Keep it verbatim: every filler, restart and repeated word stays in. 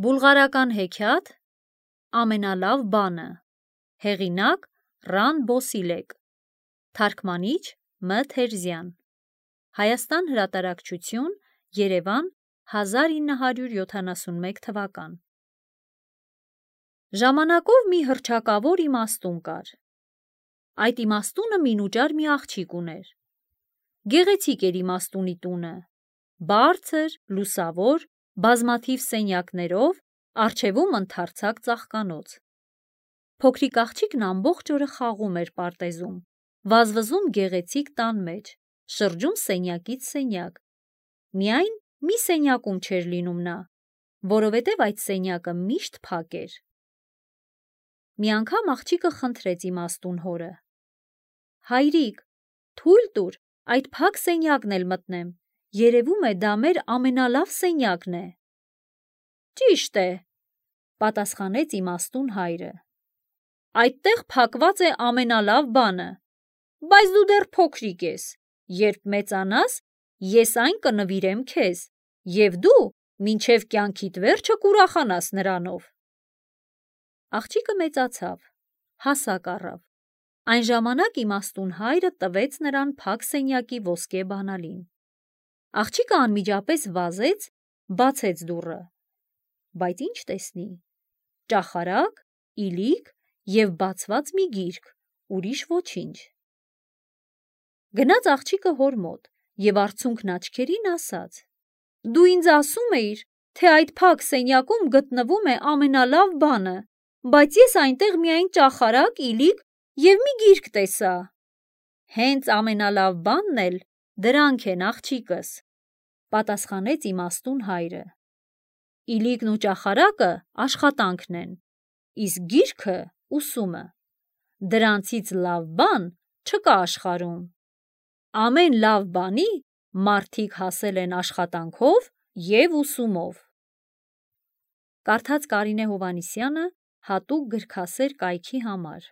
Բուլղարական հեքիաթ ամենալավ բանը, հեղինակ Ռան Բոսիլեկ, թարգմանիչ Մ Թերզյան, Հայաստան հրատարակչություն, Երևան, հազար ինը հարյուր յոթանասունմեկ թվական։ Ժամանակով մի հռչակավոր իմաստուն կար։ Այդ իմաստունը մինուճար մի աղջիկ ուներ։ Գեղեցիկ էր իմաստունի տունը, բարձր, լուսավոր, բազմաթիվ սենյակներով, առջևում ընդարձակ ծաղկանոց։ Փոքրիկ աղջիկն ամբողջ օրը խաղում էր պարտեզում, վազվզում գեղեցիկ տան մեջ, շրջում սենյակից սենյակ։ Միայն մի սենյակում չէր լինում նա, որովհետև այդ սենյակը միշտ փակ էր։ Մի անգամ աղջիկը խնդրեց իմաստուն հորը. «Հայրիկ, թույլ տուր այդ փակ սենյակն էլ մտնեմ, երևում է դա մեր ամենալավ սենյակն է»։ «Ճիշտ է», պատասխանեց իմաստուն հայրը, «այդտեղ փակված է ամենալավ բանը, բայց դու դեռ փոքրիկ ես, երբ մեծանաս, ես այն կնվիրեմ քեզ, և դու մինչև կյանքիդ վերջը կուրախանաս նրանով»։ Աղջիկը մեծացավ, հասակ առավ։ Այն ժամանակ իմաստուն հայրը տվեց նրան փակ սենյակի ոսկե բանալին։ Աղջիկը անմիջապես վազեց, բացեց դուռը, բայց ինչ տեսնի՝ ճախարակ, իլիկ և բացված մի գիրք, ուրիշ ոչինչ։ Գնաց աղջիկը հոր մոտ և արցունքն աչքերին ասաց. «Դու ինձ ասում էիր, թե այդ փակ սենյակում գտնվում է ամենալավ բանը, բայց ես այնտեղ միայն ճախարակ, իլիկ և մի գիրք տեսա»։ «Հենց ամենալավ բանն էլ դրանք են, աղջիկս», պատասխանեց իմաստուն հայրը։ «Իլիկն ու ճախարակը աշխատանքն են, իսկ գիրքը ուսումը։ Դրանցից լավ բան չկա աշխարհում։ Ամեն լավ բանի մարդիկ հասել են աշխատանքով և ուսումով»։ Կարդաց Կարինե Հովհաննիսյանը հատուկ գրքասեր կայքի համար։